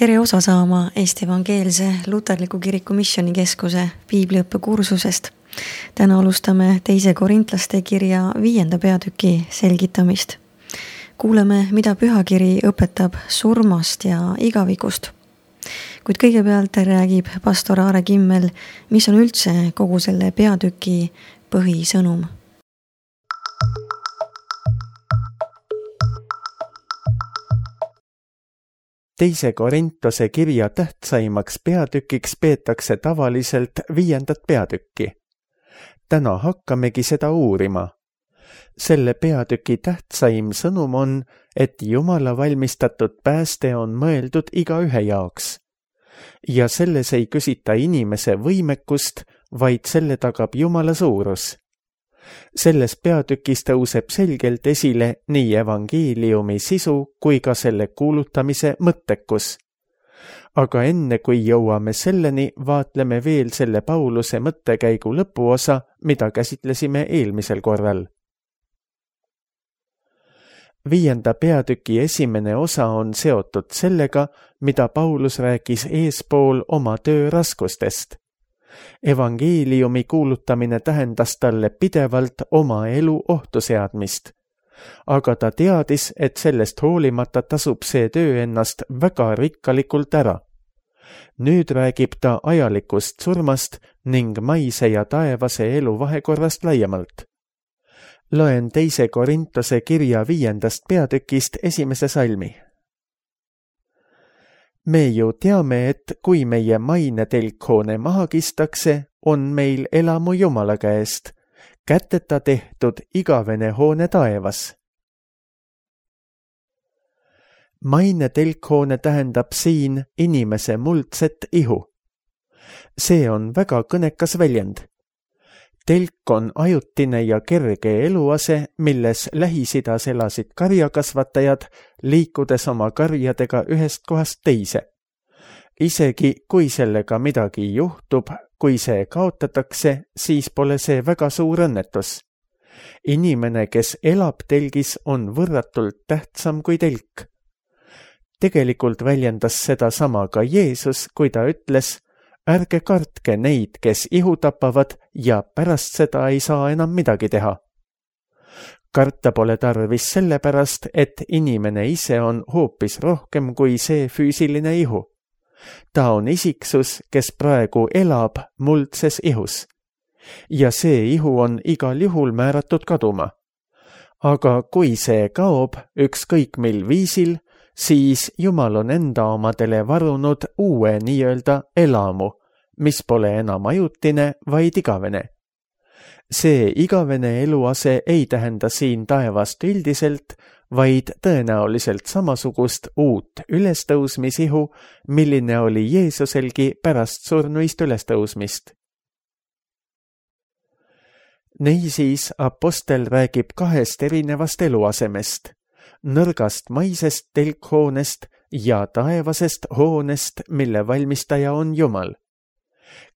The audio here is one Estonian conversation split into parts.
Tere osa saama Eesti Evangeelse Luterliku Kiriku Missioonikeskuse piibliõppekursusest. Täna alustame 2. Korintlaste kirja 5. peatüki selgitamist. Kuuleme, mida pühakiri õpetab surmast ja igavikust. Kuid kõigepealt räägib pastor Aare Kimmel, mis on üldse kogu selle peatüki põhisõnum. Teise Korintuse kirja tähtsaimaks peatükiks peetakse tavaliselt 5. peatükki. Täna hakkamegi seda uurima. Selle peatüki tähtsaim sõnum on, et Jumala valmistatud pääste on mõeldud igaühe jaoks. Ja selles ei küsita inimese võimekust, vaid selle tagab Jumala suurus. Selles peatükis tõuseb selgelt esile nii evangeeliumi sisu kui ka selle kuulutamise mõttekus. Aga enne kui jõuame selleni, vaatleme veel selle Pauluse mõttekäigu lõpuosa, mida käsitlesime eelmisel korral. 5. peatüki esimene osa on seotud sellega, mida Paulus rääkis eespool oma töö raskustest. Evangeeliumi kuulutamine tähendas talle pidevalt oma elu ohtu seadmist. Aga ta teadis, et sellest hoolimata tasub see töö ennast väga rikkalikult ära. Nüüd räägib ta ajalikust surmast ning maise ja taevase elu vahekorrast laiemalt. Loen 2. Korintuse kirja 5. peatükist 1. salmi. Me ju teame, et kui meie maine telkhoone maha kistakse, on meil elamu Jumala käest, käteta tehtud igavene hoone taevas. Maine telkhoone tähendab siin inimese muldset ihu. See on väga kõnekas väljend. Telk on ajutine ja kerge eluase, milles Lähis-Idas elasid karjakasvatajad, liikudes oma karjadega ühest kohast teise. Isegi kui sellega midagi juhtub, kui see kaotatakse, siis pole see väga suur õnnetus. Inimene, kes elab telgis, on võrratult tähtsam kui telk. Tegelikult väljendas seda sama ka Jeesus, kui ta ütles, ärge kartke neid, kes ihu tapavad ja pärast seda ei saa enam midagi teha. Karta pole tarvis sellepärast, et inimene ise on hoopis rohkem kui see füüsiline ihu. Ta on isiksus, kes praegu elab muldses ihus. Ja see ihu on igal juhul määratud kaduma. Aga kui see kaob ükskõik mil viisil, siis Jumal on enda omadele varunud uue nii-öelda elamu, mis pole enam ajutine, vaid igavene. See igavene eluase ei tähenda siin taevast üldiselt, vaid tõenäoliselt samasugust uut ülestõusmisihu, milline oli Jeesuselgi pärast surnuist ülestõusmist. Niisiis apostel räägib 2 erinevast eluasemest, nõrgast maisest telkhoonest ja taevasest hoonest, mille valmistaja on Jumal.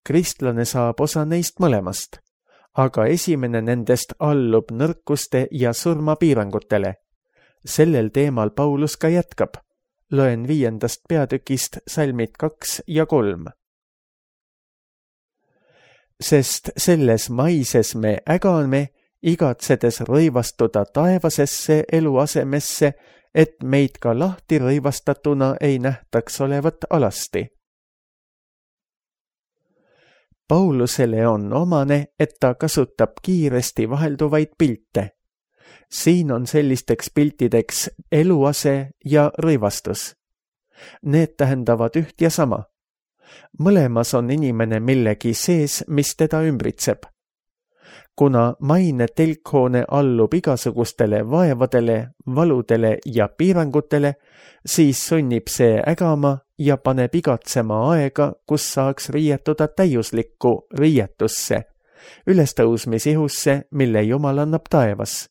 Kristlane saab osa neist mõlemast, aga esimene nendest allub nõrkuste ja surmapiirangutele. Sellel teemal Paulus ka jätkab. Loen 5. peatükist salmid 2 ja 3. Sest selles maises me ägame, igatsedes rõivastuda taevasesse eluasemesse, et meid ka lahti rõivastatuna ei nähtaks olevat alasti. Paulusele on omane, et ta kasutab kiiresti vahelduvaid pilte. Siin on sellisteks piltideks eluase ja rõivastus. Need tähendavad üht ja sama. Mõlemas on inimene millegi sees, mis teda ümbritseb. Kuna maine telkhoone allub igasugustele vaevadele, valudele ja piirangutele, siis sunnib see ägama ja paneb igatsema aega, kus saaks riietuda täiuslikku riietusse, ülestõusmisihusse, mille Jumal annab taevas.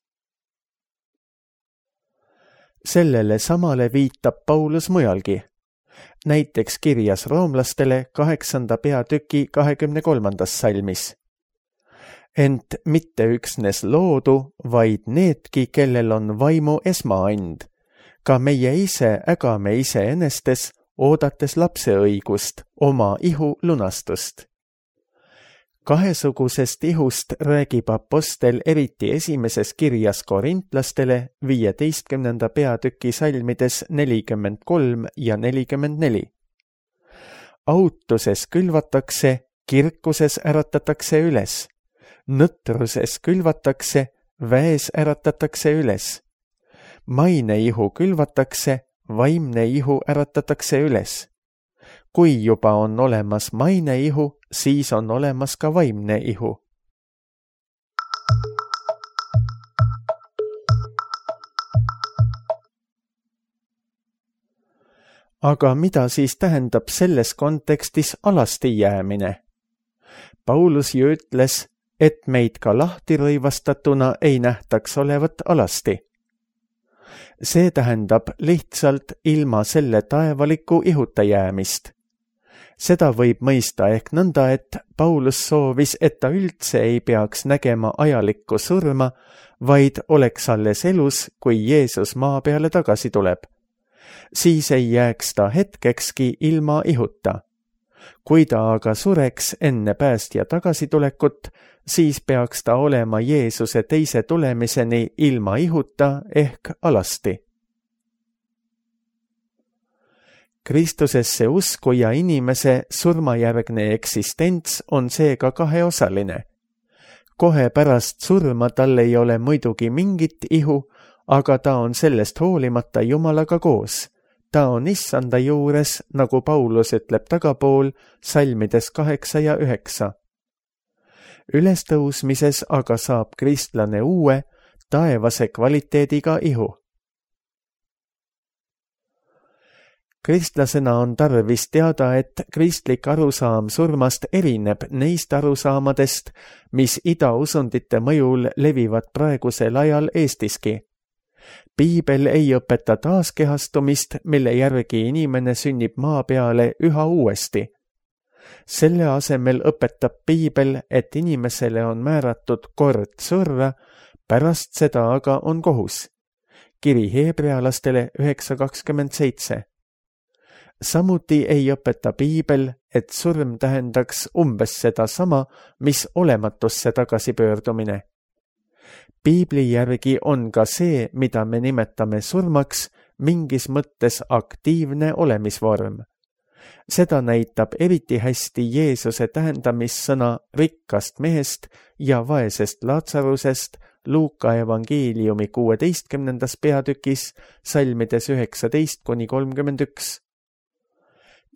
Sellele samale viitab Paulus mujalgi, näiteks kirjas roomlastele 8. peatüki 23. salmis. Ent mitte üksnes loodu, vaid needki, kellel on vaimu esmaand. Ka meie ise ägame iseenestes oodates lapse õigust, oma ihu lunastust. Kahesugusest ihust räägib apostel eriti esimeses kirjas korintlastele 15. peatüki salmides 43 ja 44. Autuses külvatakse, kirkuses äratatakse üles. Nõtruses külvatakse, väes äratatakse üles. Maineihu külvatakse, vaimne ihu äratatakse üles. Kui juba on olemas maineihu, siis on olemas ka vaimne ihu. Aga mida siis tähendab selles kontekstis alasti jäämine? Paulus ju ütles, et meid ka lahti rõivastatuna ei nähtaks olevat alasti. See tähendab lihtsalt ilma selle taevaliku ihuta jäämist. Seda võib mõista ehk nõnda, et Paulus soovis, et ta üldse ei peaks nägema ajalikku surma, vaid oleks alles elus, kui Jeesus maa peale tagasi tuleb. Siis ei jääks ta hetkekski ilma ihuta. Kui ta aga sureks enne päästja tagasitulekut, siis peaks ta olema Jeesuse teise tulemiseni ilma ihuta ehk alasti. Kristusesse usku ja inimese surmajärgne eksistents on seega kaheosaline. Kohe pärast surma tal ei ole muidugi mingit ihu, aga ta on sellest hoolimata Jumalaga koos. Ta on issanda juures, nagu Paulus ütleb tagapool salmides 8 ja 9. Ülestõusmises aga saab kristlane uue, taevase kvaliteediga ihu. Kristlasena on tarvis teada, et kristlik arusaam surmast erineb neist arusaamadest, mis idausundite mõjul levivad praegusel ajal Eestiski. Piibel ei õpeta taaskehastumist, mille järgi inimene sünnib maa peale üha uuesti. Selle asemel õpetab Piibel, et inimesele on määratud kord surra, pärast seda aga on kohus. Kiri Heebrealastele 9:27. Samuti ei õpeta Piibel, et surm tähendaks umbes seda sama, mis olematusse tagasipöördumine. Piibli järgi on ka see, mida me nimetame surmaks, mingis mõttes aktiivne olemisvorm. Seda näitab eriti hästi Jeesuse tähendamissõna rikkast mehest ja vaesest Laatsarusest Luuka evangeeliumi 16. peatükis salmides 19-31.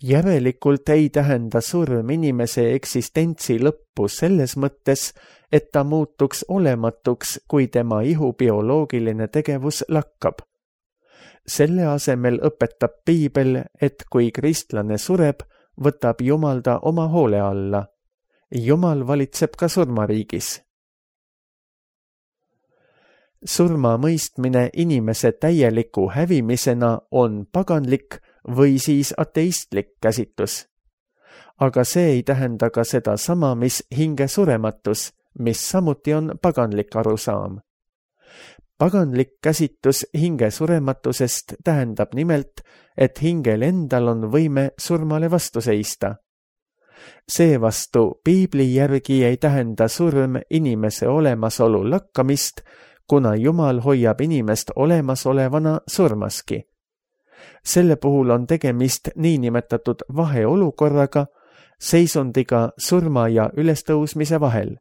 Järelikult ei tähenda surm inimese eksistentsi lõppu selles mõttes, et ta muutuks olematuks, kui tema ihu bioloogiline tegevus lakkab. Selle asemel õpetab Piibel, et kui kristlane sureb, võtab Jumal ta oma hoole alla. Jumal valitseb ka surmariigis. Surma mõistmine inimese täieliku hävimisena on paganlik või siis ateistlik käsitlus. Aga see ei tähenda ka seda sama, mis hinge surematus, mis samuti on paganlik arusaam. Paganlik käsitlus hinge surematusest tähendab nimelt, et hingel endal on võime surmale vastu seista. Seevastu Piibli järgi ei tähenda surm inimese olemasolu lakkamist, kuna Jumal hoiab inimest olemasolevana surmaski. Selle puhul on tegemist niinimetatud vaheolukorraga, seisundiga surma ja ülestõusmise vahel.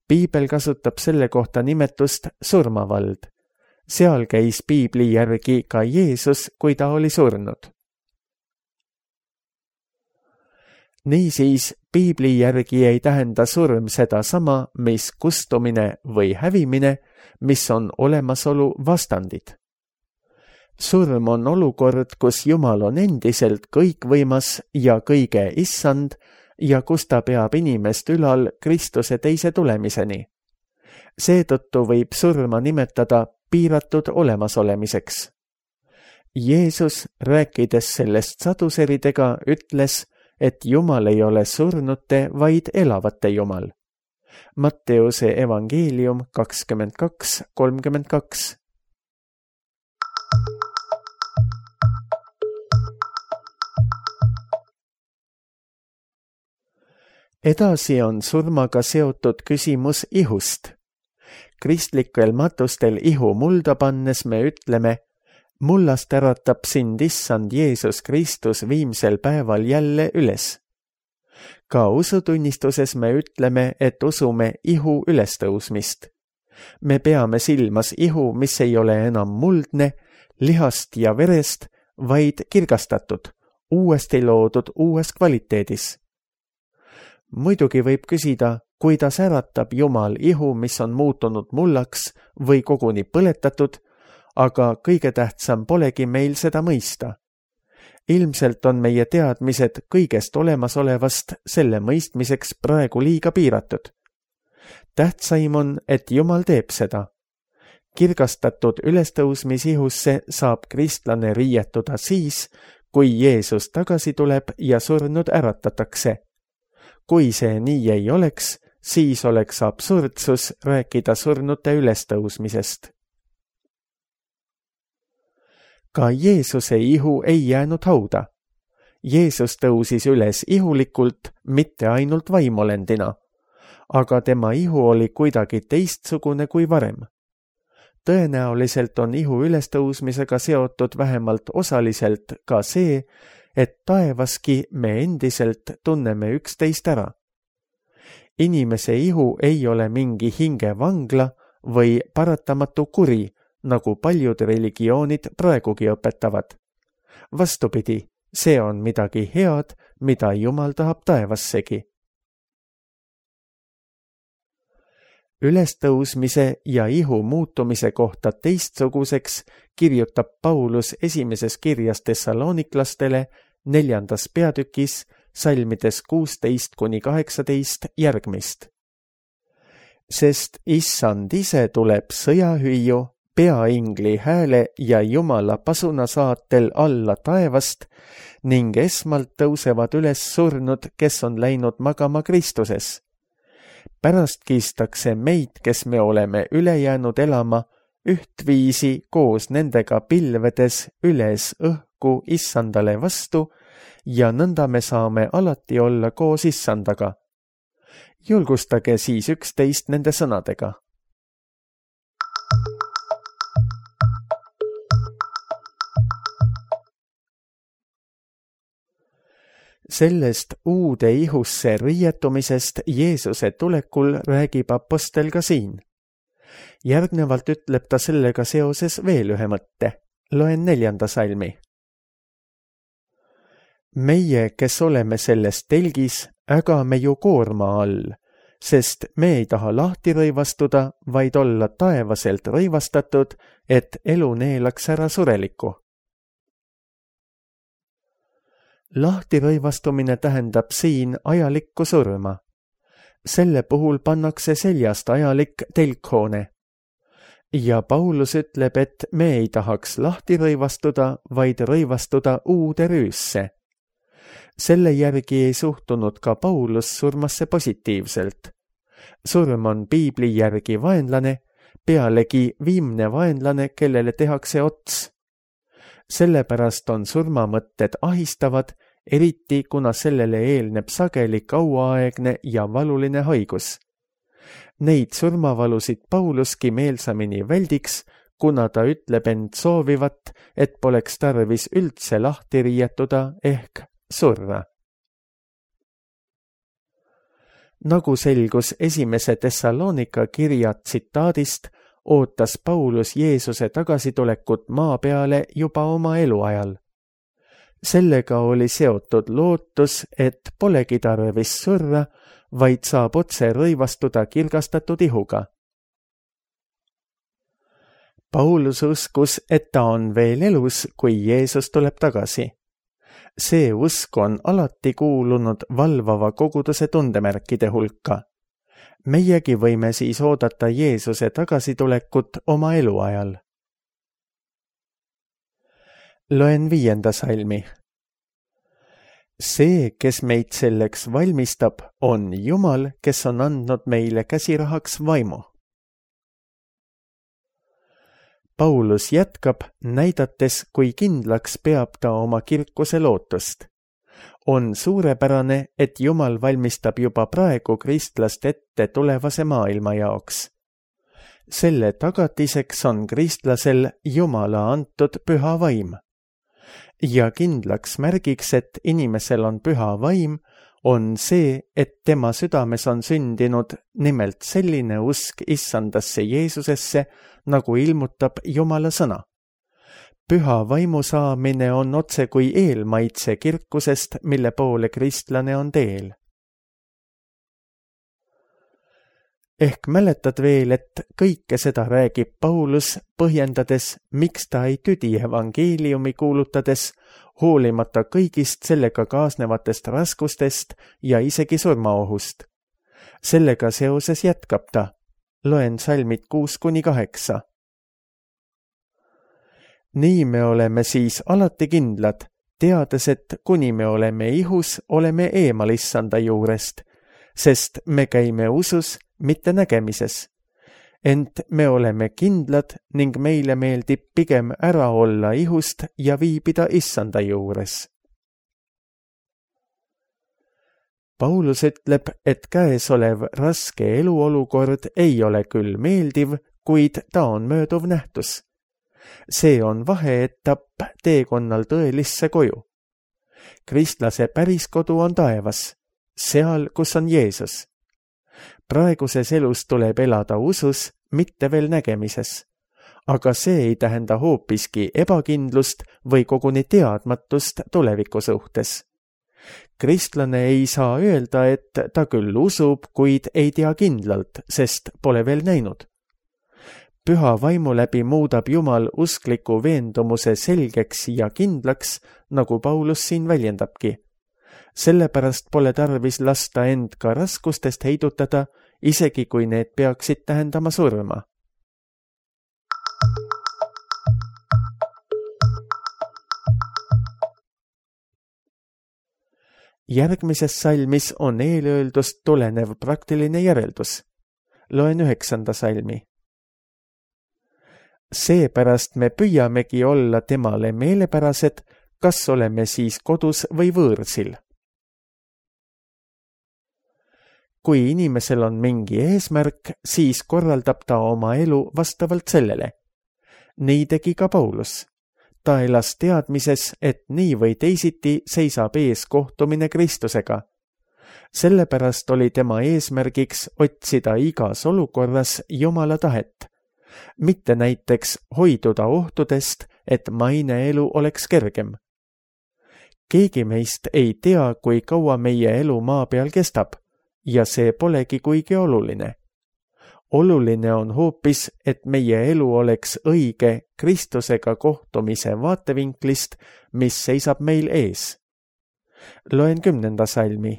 Piibel kasutab selle kohta nimetust surmavald. Seal käis Piibli järgi ka Jeesus, kui ta oli surnud. Niisiis, Piibli järgi ei tähenda surm seda sama, mis kustumine või hävimine, mis on olemasolu vastandid. Surm on olukord, kus Jumal on endiselt kõikvõimas ja kõige issand ja kus ta peab inimest ülal Kristuse teise tulemiseni. Seetõttu võib surma nimetada piiratud olemasolemiseks. Jeesus, rääkides sellest saduseridega, ütles, et Jumal ei ole surnute, vaid elavate Jumal. Matteuse evangeelium 22:32. Edasi on surmaga seotud küsimus ihust. Kristlikel matustel ihu mulda pannes me ütleme, mullast äratab sind issand Jeesus Kristus viimsel päeval jälle üles. Ka usutunnistuses me ütleme, et usume ihu ülestõusmist. Me peame silmas ihu, mis ei ole enam muldne, lihast ja verest, vaid kirgastatud, uuesti loodud uues kvaliteedis. Muidugi võib küsida, kuidas äratab Jumal ihu, mis on muutunud mullaks või koguni põletatud, aga kõige tähtsam polegi meil seda mõista. Ilmselt on meie teadmised kõigest olemasolevast selle mõistmiseks praegu liiga piiratud. Tähtsaim on, et Jumal teeb seda. Kirgastatud ülestõusmisihusse saab kristlane riietuda siis, kui Jeesus tagasi tuleb ja surnud äratatakse. Kui see nii ei oleks, siis oleks absurdsus rääkida surnute ülestõusmisest. Ka Jeesuse ihu ei jäänud hauda. Jeesus tõusis üles ihulikult, mitte ainult vaimolendina, aga tema ihu oli kuidagi teistsugune kui varem. Tõenäoliselt on ihu ülestõusmisega seotud vähemalt osaliselt ka see, et taevaski me endiselt tunneme üksteist ära. Inimese ihu ei ole mingi hingevangla või paratamatu kuri, nagu paljud religioonid praegugi õpetavad. Vastupidi, see on midagi head, mida Jumal tahab taevassegi. Ülestõusmise ja ihu muutumise kohta teistsuguseks kirjutab Paulus esimeses kirjas Thessaloniklastele 4. peatükis salmides 16-18 järgmist. Sest issand ise tuleb sõjahüüju, peaingli hääle ja Jumala pasuna saatel alla taevast ning esmalt tõusevad üles surnud, kes on läinud magama Kristuses. Pärast kistakse meid, kes me oleme üle jäänud elama, ühtviisi koos nendega pilvedes üles õhku issandale vastu ja nõnda me saame alati olla koos issandaga. Julgustage siis üksteist nende sõnadega. Sellest uude ihusse riietumisest Jeesuse tulekul räägib apostel ka siin. Järgnevalt ütleb ta sellega seoses veel ühe mõtte. Loen 4. salmi. Meie, kes oleme selles telgis, ägame ju koorma all, sest me ei taha lahti rõivastuda, vaid olla taevaselt rõivastatud, et elu neelaks ära sureliku. Lahtirõivastumine tähendab siin ajalikku surma. Selle puhul pannakse seljast ajalik telkhoone. Ja Paulus ütleb, et me ei tahaks lahti rõivastuda, vaid rõivastuda uude rüüsse. Selle järgi ei suhtunud ka Paulus surmasse positiivselt. Surm on piibli järgi vaenlane, pealegi viimne vaenlane, kellele tehakse ots. Sellepärast on surmamõtted ahistavad, eriti kuna sellele eelneb sageli kauaaegne ja valuline haigus. Neid surmavalusid Pauluski meelsamini väldiks, kuna ta ütleb end soovivat, et poleks tarvis üldse lahti riietuda ehk surra. Nagu selgus esimese Thessalonika kirja tsitaadist, ootas Paulus Jeesuse tagasitulekut maa peale juba oma eluajal. Sellega oli seotud lootus, et polegi tarvis surra, vaid saab otse rõivastuda kirgastatud ihuga. Paulus uskus, et ta on veel elus, kui Jeesus tuleb tagasi. See usk on alati kuulunud valvava koguduse tundemärkide hulka. Meiegi võime siis oodata Jeesuse tagasitulekut oma eluajal. Loen 5. salmi. See, kes meid selleks valmistab, on Jumal, kes on andnud meile käsirahaks vaimu. Paulus jätkab, näidates, kui kindlaks peab ta oma kirkuse lootust. On suurepärane, et Jumal valmistab juba praegu kristlast ette tulevase maailma jaoks. Selle tagatiseks on kristlasel Jumala antud püha vaim. Ja kindlaks märgiks, et inimesel on püha vaim, on see, et tema südames on sündinud nimelt selline usk issandasse Jeesusesse, nagu ilmutab Jumala sõna. Püha vaimu saamine on otse kui eelmaitse kirkusest, mille poole kristlane on teel. Ehk mäletad veel, et kõike seda räägib Paulus, põhjendades, miks ta ei tüdi evangeeliumi kuulutades, hoolimata kõigist sellega kaasnevatest raskustest ja isegi surmaohust. Sellega seoses jätkab ta. Loen salmid 6-8. Nii me oleme siis alati kindlad, teades, et kuni me oleme ihus, oleme eemal issanda juurest, sest me käime usus, mitte nägemises. Ent me oleme kindlad ning meile meeldib pigem ära olla ihust ja viibida issanda juures. Paulus ütleb, et käesolev raske eluolukord ei ole küll meeldiv, kuid ta on mööduv nähtus. See on vaheetapp teekonnal tõelisse koju. Kristlase päriskodu on taevas, seal, kus on Jeesus. Praeguses elus tuleb elada usus, mitte veel nägemises. Aga see ei tähenda hoopiski ebakindlust või koguni teadmatust tuleviku suhtes. Kristlane ei saa öelda, et ta küll usub, kuid ei tea kindlalt, sest pole veel näinud. Püha vaimu läbi muudab Jumal uskliku veendumuse selgeks ja kindlaks, nagu Paulus siin väljendabki. Sellepärast pole tarvis lasta end ka raskustest heidutada, isegi kui need peaksid tähendama surma. Järgmises salmis on eelöeldust tulenev praktiline järeldus. Loen 9. salmi. Seepärast me püüamegi olla temale meelepärased, kas oleme siis kodus või võõrsil. Kui inimesel on mingi eesmärk, siis korraldab ta oma elu vastavalt sellele. Nii tegi ka Paulus. Ta elas teadmises, et nii või teisiti seisab ees kohtumine Kristusega. Sellepärast oli tema eesmärgiks otsida igas olukorras Jumala tahet. Mitte näiteks hoiduda ohtudest, et maine elu oleks kergem. Keegi meist ei tea, kui kaua meie elu maa peal kestab, ja see polegi kuigi oluline. Oluline on hoopis, et meie elu oleks õige Kristusega kohtumise vaatevinklist, mis seisab meil ees. Loen 10. salmi.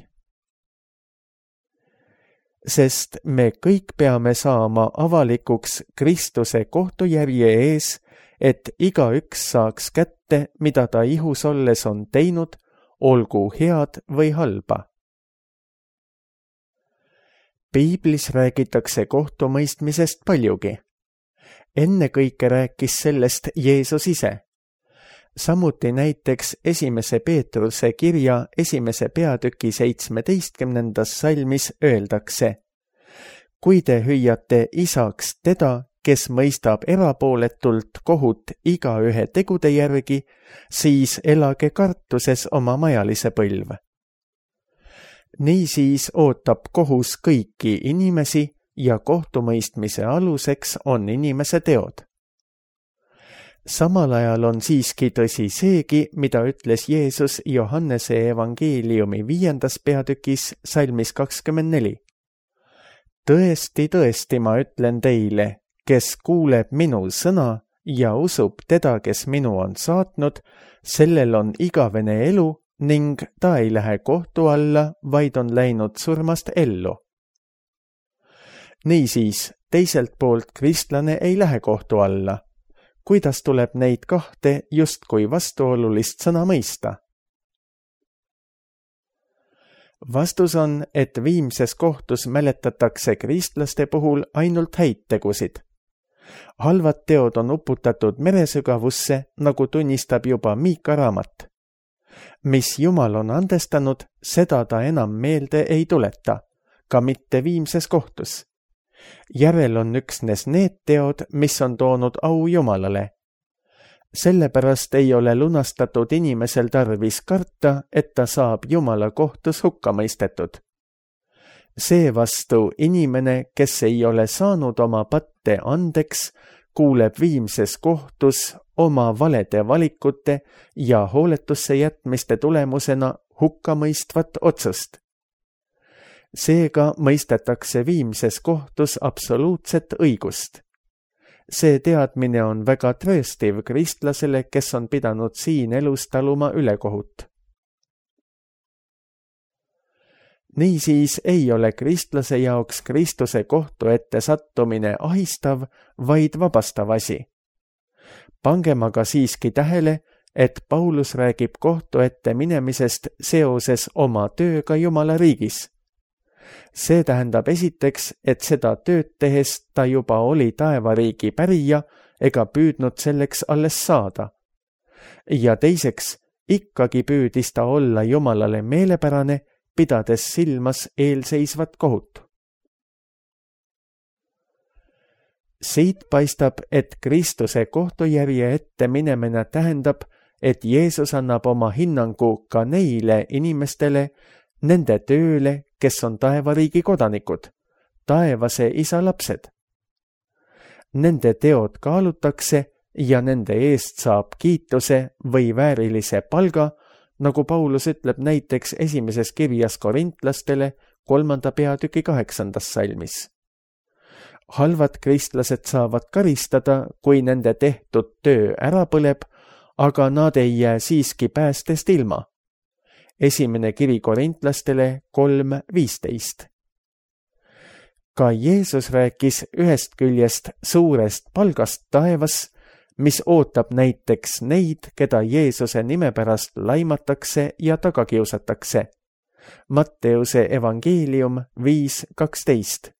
Sest me kõik peame saama avalikuks Kristuse kohtujärje ees, et igaüks saaks kätte, mida ta ihus olles on teinud, olgu head või halba. Piiblis räägitakse kohtumõistmisest paljugi. Ennekõike rääkis sellest Jeesus ise. Samuti näiteks 1. Peetruse kirja 1. peatüki 17. salmis öeldakse: kui te hüüate isaks teda, kes mõistab erapooletult kohut igaühe tegude järgi, siis elage kartuses oma majalise põlv. Niisiis ootab kohus kõiki inimesi ja kohtumõistmise aluseks on inimese teod. Samal ajal on siiski tõsi seegi, mida ütles Jeesus Johannese evangeeliumi 5. peatükis salmis 24. Tõesti, tõesti, ma ütlen teile, kes kuuleb minu sõna ja usub teda, kes minu on saatnud, sellel on igavene elu ning ta ei lähe kohtu alla, vaid on läinud surmast ellu. Niisiis, teiselt poolt kristlane ei lähe kohtu alla. Kuidas tuleb neid kahte justkui vastuolulist sõna mõista? Vastus on, et viimses kohtus mäletatakse kristlaste puhul ainult häid tegusid. Halvad teod on uputatud meresügavusse, nagu tunnistab juba Miika raamat. mis Jumal on andestanud, seda ta enam meelde ei tuleta, ka mitte viimses kohtus. Järel on üksnes need teod, mis on toonud au Jumalale. Sellepärast ei ole lunastatud inimesel tarvis karta, et ta saab Jumala kohtus hukka mõistetud. Seevastu inimene, kes ei ole saanud oma patte andeks, kuuleb viimses kohtus oma valede valikute ja hooletusse jätmiste tulemusena hukkamõistvat otsust. Seega mõistetakse viimses kohtus absoluutset õigust. See teadmine on väga trööstiv kristlasele, kes on pidanud siin elus taluma ülekohut. Niisiis ei ole kristlase jaoks Kristuse kohtu ette sattumine ahistav, vaid vabastav asi. Pangem aga siiski tähele, et Paulus räägib kohtu ette minemisest seoses oma tööga Jumala riigis. See tähendab esiteks, et seda tööd tehes ta juba oli taevariigi pärija ega püüdnud selleks alles saada. Ja teiseks, ikkagi püüdis ta olla Jumalale meelepärane, pidades silmas eelseisvat kohut. Siit paistab, et Kristuse kohtujärje ette minemine tähendab, et Jeesus annab oma hinnangu ka neile inimestele, nende tööle, kes on taevariigi kodanikud, taevase isa lapsed. Nende teod kaalutakse ja nende eest saab kiituse või väärilise palga, nagu Paulus ütleb näiteks esimeses kirjas korintlastele 3. peatüki 8. salmis. Halvad kristlased saavad karistada, kui nende tehtud töö ära põleb, aga nad ei jää siiski päästest ilma. Esimene kiri korintlastele 3:15. Ka Jeesus rääkis ühest küljest suurest palgast taevas, mis ootab näiteks neid, keda Jeesuse nime pärast laimatakse ja tagakiusatakse. Matteuse evangeelium 5:12.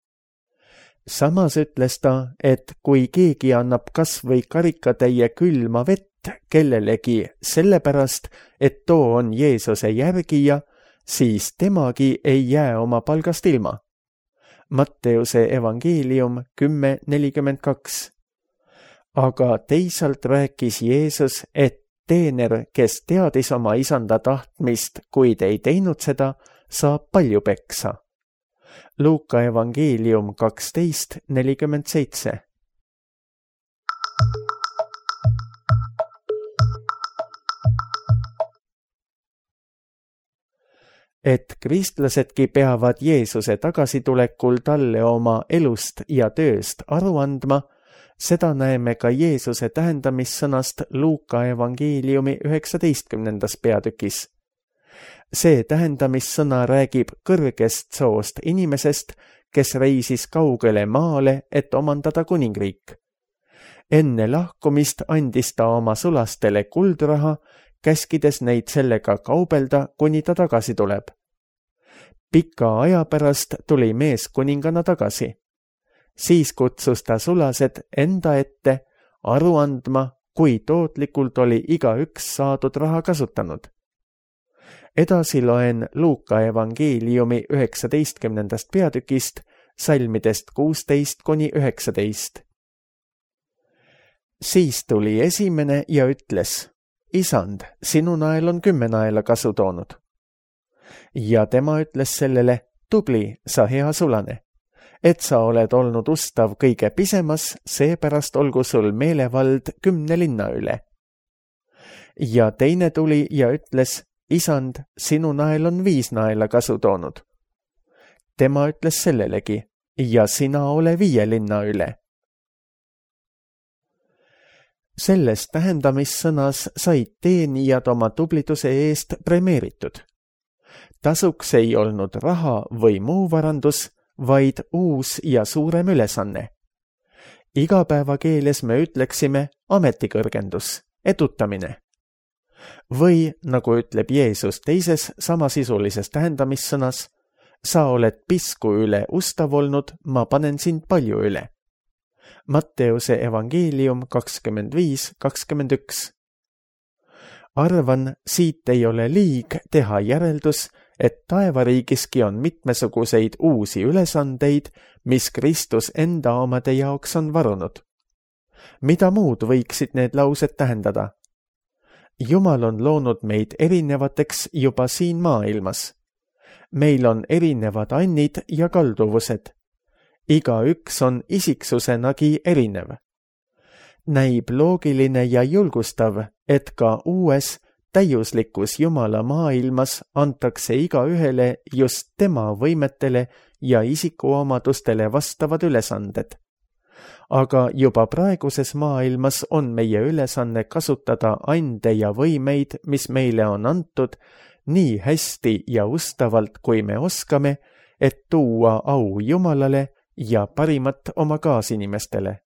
Samas ütles ta, et kui keegi annab kas või karikatäie külma vett kellelegi sellepärast, et too on Jeesuse järgija, siis temagi ei jää oma palgast ilma. Matteuse evangeelium 10:42. Aga teisalt rääkis Jeesus, et teener, kes teadis oma isanda tahtmist, kuid ei teinud seda, saab palju peksa. Luuka evangeelium 12:47. Et kristlasedki peavad Jeesuse tagasitulekul talle oma elust ja tööst aru andma, seda näeme ka Jeesuse tähendamissõnast Luuka evangeeliumi 19. peatükis. See tähendamissõna räägib kõrgest soost inimesest, kes reisis kaugele maale, et omandada kuningriik. Enne lahkumist andis ta oma sulastele kuldraha, käskides neid sellega kaubelda, kuni ta tagasi tuleb. Pika aja pärast tuli mees kuningana tagasi. Siis kutsus ta sulased enda ette aru andma, kui tootlikult oli igaüks saadud raha kasutanud. Edasi loen Luuka evangeeliumi 19. peatükist, salmidest 16-19. Siis tuli esimene ja ütles: Isand, sinu nael on 10 naela kasu toonud. Ja tema ütles sellele: Tubli, sa hea sulane, et sa oled olnud ustav kõige pisemas, seepärast olgu sul meelevald 10 linna üle. Ja teine tuli ja ütles: Isand, sinu nael on 5 naela kasu toonud. Tema ütles sellelegi: ja sina ole 5 linna üle. Selles tähendamissõnas said teenijad oma tubliduse eest premeeritud. Tasuks ei olnud raha või muu varandus, vaid uus ja suurem ülesanne. Igapäevakeeles me ütleksime ametikõrgendus, edutamine. Või, nagu ütleb Jeesus teises samasisulises tähendamissõnas: sa oled pisku üle ustav olnud, ma panen sind palju üle. Matteuse evangeelium 25:21. arvan, siit ei ole liig teha järeldus, et taevariigiski on mitmesuguseid uusi ülesandeid, mis Kristus enda omade jaoks on varunud. Mida muud võiksid need laused tähendada? Jumal on loonud meid erinevateks juba siin maailmas. Meil on erinevad annid ja kalduvused. Igaüks on isiksusenagi erinev. Näib loogiline ja julgustav, et ka uues, täiuslikus Jumala maailmas antakse igaühele just tema võimetele ja isikuomadustele vastavad ülesanded. Aga juba praeguses maailmas on meie ülesanne kasutada ande ja võimeid, mis meile on antud, nii hästi ja ustavalt, kui me oskame, et tuua au Jumalale ja parimat oma kaasinimestele.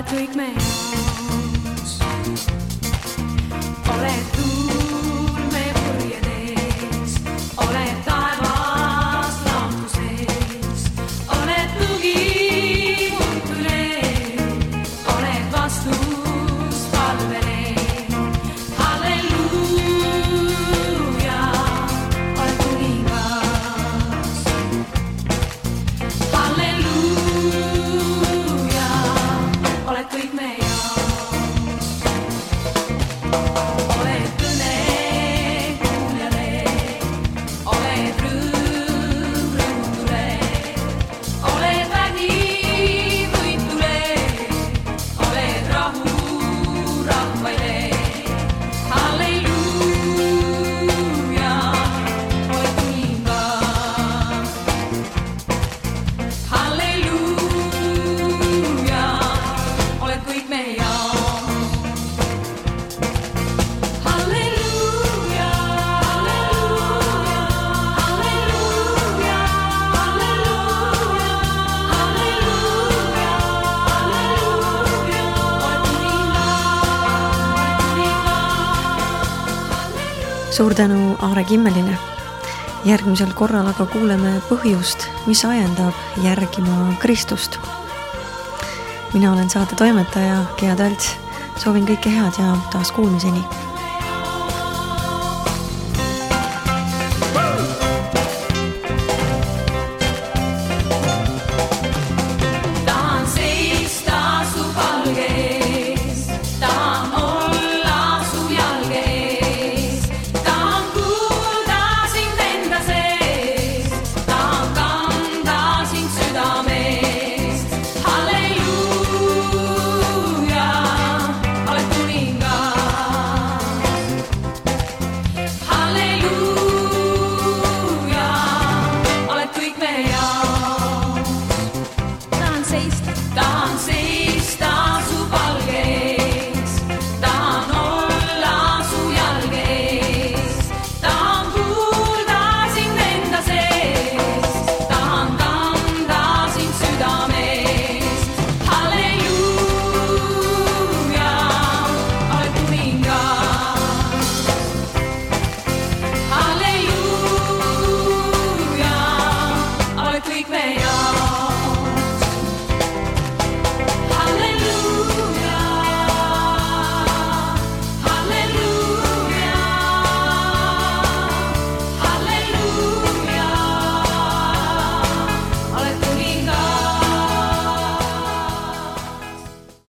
Kõik me jaoks oled tuul me purjedes, oled taevas laotuses, oled tugi muutule, oled vastus palvele. Halleluuja, oled kuningas. Halleluuja, kõik me jaoks oled kõne kuuljale, oled rõõm rõõmutule, oled vägi võitule, oled rahu rahvaile. Halleluuja, oled kuningas. Halleluuja, kõik me jaoks. Halleluuja, halleluuja, halleluuja, halleluuja, halleluuja, halleluuja, halleluuja. Suur tänu Aare Kimmelile. Järgmisel korral aga kuuleme põhjust, mis ajendab järgima Kristust. Mina olen saate toimetaja Gea Tölts. Soovin kõike head ja taas kuulmiseni.